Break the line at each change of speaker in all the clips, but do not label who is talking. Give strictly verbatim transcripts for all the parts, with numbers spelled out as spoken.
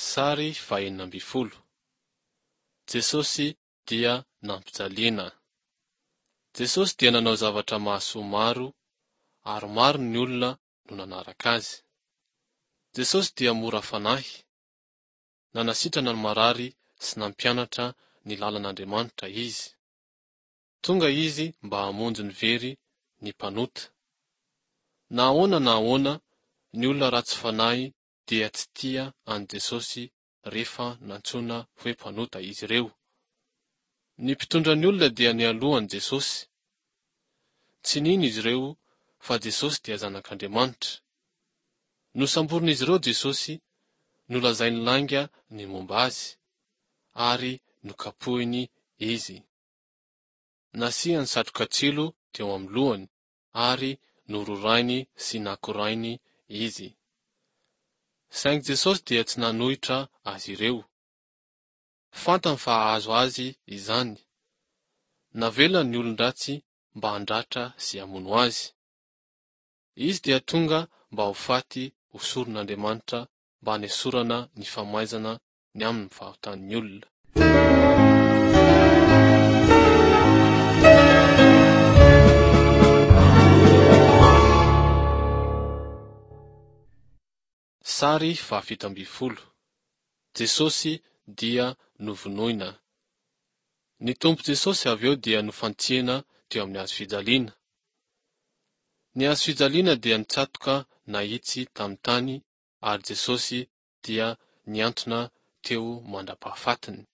Sary fahenina ambin'ny folo. Jesosy dia nampijaliana. Jesosy dia nanao zavatra mahasoa maro ary maro ny olona no nanaraka azy. Jesosy dia mora fanahy. Nanasitrana ny marary sy nampianatra ny lalan'Andriamanitra izy. Tonga izy mba hamonjy ny very, ny mpanota. Na ahoana na ahoana, ny olona ratsy fanahy dia tsy tia an'i Jesosy rehefa nantsoina hoe mpanota izy ireo. Ny mpitondra ny olona dia nialoha an'i Jesosy. Tsy nino izy ireo fa Jesosy dia Zanak'Andriamanitra. Nosamborin'izy ireo Jesosy, nolazainy lainga ny momba azy, ary nokapohiny izy. Nasiany satroka tsilo teo amin'ny lohany ary nororainy sy nakorainy izy. Saingy Jesosy dia tsy nanohitra azy ireo. Fantany fa hahazo azy izany. Navelany ny olon-dratsy mba handratra sy hamono azy. Izy dia tonga mba ho faty ho soron'Andriamanitra mba hanesorana ny famaizana ny amin'ny fahotan'ny olona. Sary fahafito ambin'ny folo. Jesosy dia novonoina. Ny Tompo Jesosy avy eo dia nofantsihana teo amin'ny hazo fijaliana. Ny hazo fijaliana dia nitsatoka nahitsy tamin'ny tany ary Jesosy dia nihantona teo mandra-pahafatiny.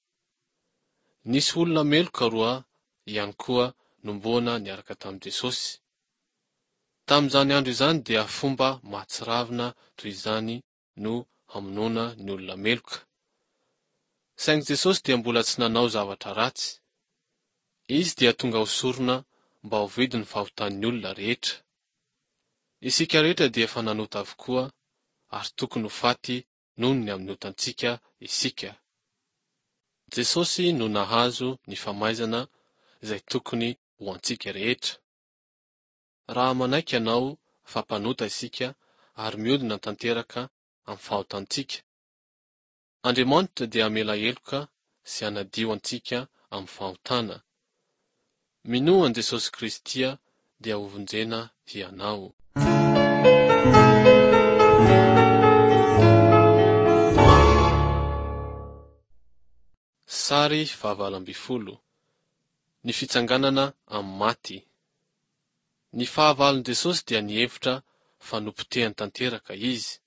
Nisy olona meloka roa ihany koa nomboana niaraka tamin'i Jesosy. Tamin'izany andro izany dia fomba mahatsiravina toy izany no hamonoana ny olona meloka. Saingy Jesosy dia mbola tsy nanao zavatra ratsy. Izy dia tonga ho sorona mba ho vidin'ny fahotan'ny olona rehetra. Isika rehetra dia efa nanota avokoa ary tokony ho faty noho ny amin'ny otantsika isika. Jesosy no nahazo ny famaizana izay tokony ho antsika rehetra. Raha manaiky ianao fa mpanota isika ary miodina tanteraka amin'ny fahotantsika, Andriamanitra dia hamela heloka sy hanadio antsika amin'ny fahotana. Minoa an'i Jesosy Kristy dia hovonjena hianao. Sary fahavalo ambin'ny folo. Ny fitsanganana amin'ny maty. Ny fahavalon'i Jesosy dia nihevitra fa nopotehany tanteraka izy.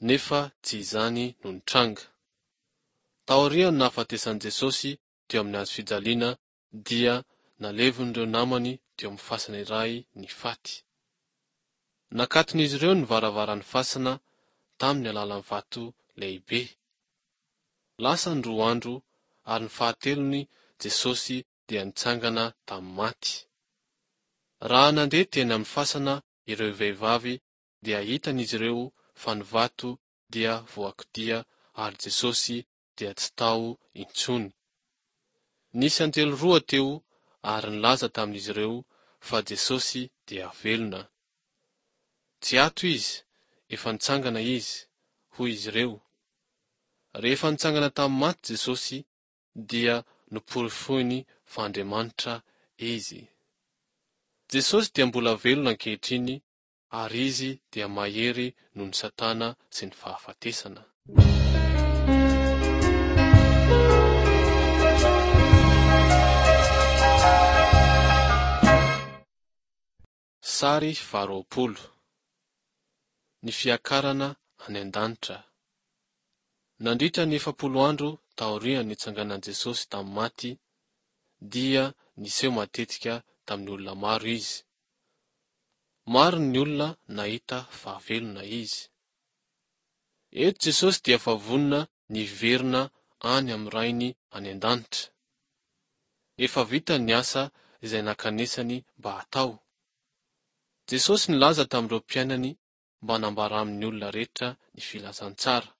Nefa tsy izany no nitranga. Taorian'ny nahafatesan'i Jesosy teo amin'ny hazo fijaliana dia nalevin'ireo namany teo amin'ny fasana iray ny faty. Nakaton'izy ireo ny varavaran'ny fasana tamin'ny alalan'ny vato lehibe. Lasa ny roa andro ary ny fahatelony Jesosy dia nitsangana tamin'ny maty. Raha nandeha teny amin'ny fasana ireo vehivavy dia hitan'izy ireo fa ny vato dia voakodia ary Jesosy dia tsy tao intsony. Nisy anjely roa teo ary nilaza tamin'izy ireo fa Jesosy dia velona. Tsy ato izy, efa nitsangana izy, hoy izy ireo. Rehefa nitsangana tamin'ny maty Jesosy dia noporofoiny fa Andriamanitra izy. Jesosy dia mbola velona ankehitriny ary izy dia mahery noho ny Satana sy ny fahafatesana. Sary faharoapolo. Ny fiakarana any an-danitra. Nandritra ny efapolo andro taorian'ny nitsanganan'i Jesosy tamin'ny maty, dia niseho matetika tamin'ny olona maro izy. Maro ny olona nahita fa velona izy. Eto Jesosy dia efa vonona ny hiverina any amin'ny Rainy any an-danitra. Efa vitany ny asa izay nankanesany mba hatao. Jesosy nilaza tamin'ireo mpianany mba hanambara amin'ny olona rehetra ny filazantsara.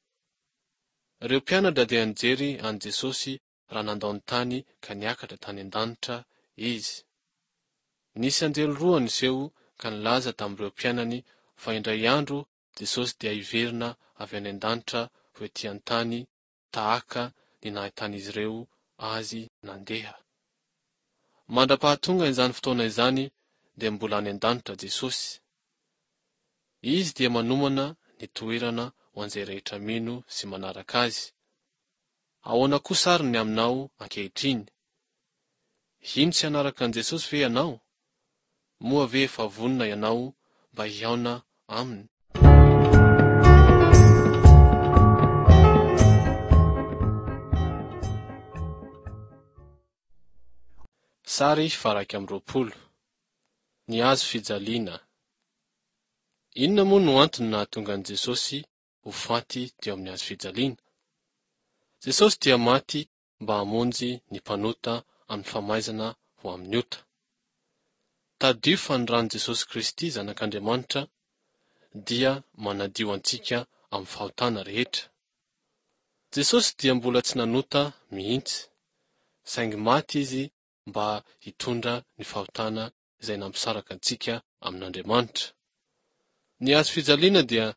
Ireo mpianatra dia nijery an'i Jesosy raha nandao ny tany ka niakatra tany an-danitra izy. Nisy anjely roa niseho ka nilaza tamin'ireo mpianany fa indray andro Jesosy dia hiverina avy any an-danitra ho ety an-tany tahaka ny nahitan'izy ireo Azy nandeha. Mandra-pahatonga izany fotoana izany dia mbola any an-danitra Jesosy. Izy dia manomana ny toerana ho an'izay rehetra mino sy manaraka Azy. Ahoana kosa ary ny aminao ankehitriny? Hino sy hanaraka an'i Jesosy ve ianao? Moa ve efa vonona ianao mba hihaona Aminy? Sary faha-iraika amby roapolo. Ny hazo fijaliana. Inona moa no antony nahatonga an'i Jesosy ho faty teo amin'ny hazo fijaliana? Jesosy dia maty mba hamonjy ny mpanota amin'ny famaizana ho amin'ny ota. Tadidio fa ny ran'i Jesosy Kristy Zanak'Andriamanitra dia manadio antsika amin'ny fahotana rehetra. Jesosy dia mbola tsy nanota mihitsy, saingy maty Izy mba hitondra ny fahotana izay nampisaraka antsika amin'Andriamanitra. Ny hazo fijaliana dia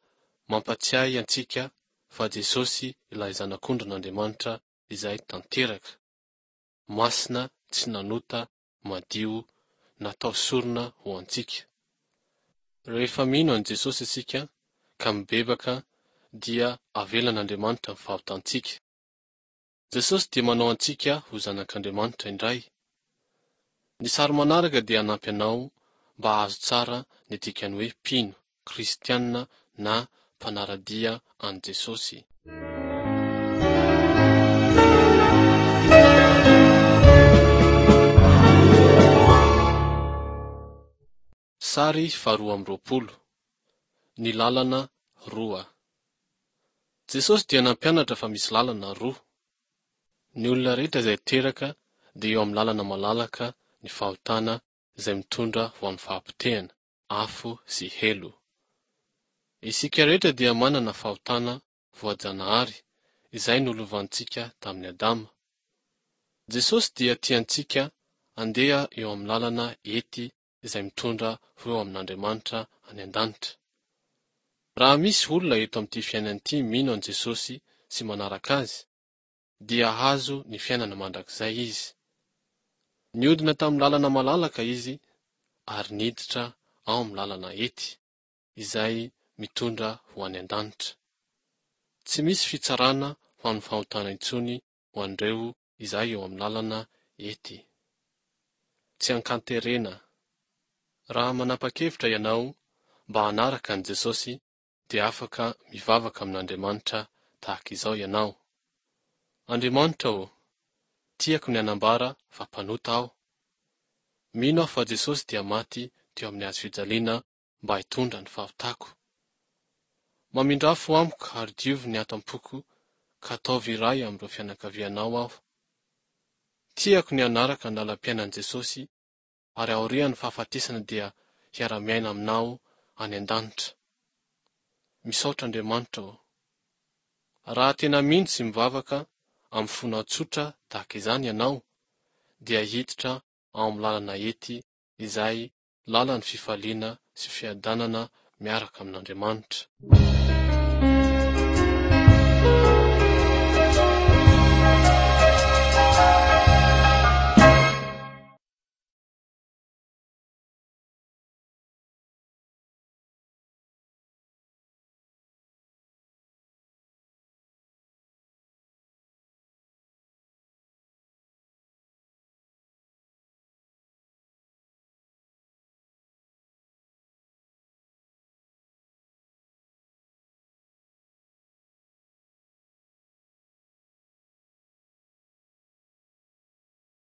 mampatsiahy antsika fa Jesosy ilay Zanak'ondrin'Andriamanitra izay tanteraka, masina, tsy nanota, madio, natao sorona ho antsika. Rehefa mino an'i Jesosy isika ka mibebaka dia avelan'Andriamanitra ny fahotantsika. Jesosy dia manao antsika ho zanak'Andriamanitra indray. Ny sary manaraka dia hanampy anao mba hahazo tsara ny dikan'ny hoe mpino, kristiana na mpanara-dia an'i Jesosy. Sary faharoa amby roapolo. Ny lalana roa. Jesosy dia nampianatra fa misy lalana roa. Ny olona rehetra izay teraka dia eo amin'ny lalana malalaka ny fahotana izay mitondra ho amin'ny fahapotehana, afo sy helo. Isika rehetra dia manana fahotana voajanahary izay nolovantsika tamin'i Adama. Jesosy dia tia antsika handeha eo amin'ny lalana ety izay mitondra ho eo amin'Andriamanitra any an-danitra. Raha misy olona eto amin'ity fiainana ity mino an'i Jesosy sy manaraka Azy, dia hahazo ny fiainana mandrakizay izy. Nihodina tamin'ny lalana malalaka izy ary niditra ao amin'ny lalana ety, izay mitondra ho any an-danitra. Tsy misy fitsarana ho an'ny fahotana intsony ho an'ireo izay eo amin'ny lalana ety. Tsy ankanterena. Raha manapa-kevitra ianao mba hanaraka an'i Jesosy dia afaka mivavaka amin'Andriamanitra tahaka izao ianao. Andriamanitra ô, tiako ny hanambara fa mpanota aho. Mino aho fa Jesosy dia maty teo amin'ny hazo fijaliana mba hitondra ny fahotako. Mamindrà fo amiko ary diovy ny ato am-poko ka ataovy iray amin'ireo fianakavianao aho. Tiako ny hanaraka ny lalam-piainan'i Jesosy ary aorian'ny fahafatesana dia hiara-miaina aminao any an-danitra. Misaotra Andriamanitra ô. Raha tena mino sy mivavaka amin'ny fonao tsotra tahaka izany ianao, dia hiditra ao amin'ny lalana ety izay lalan'ny fifaliana sy fiadanana miaraka amin'Andriamanitra.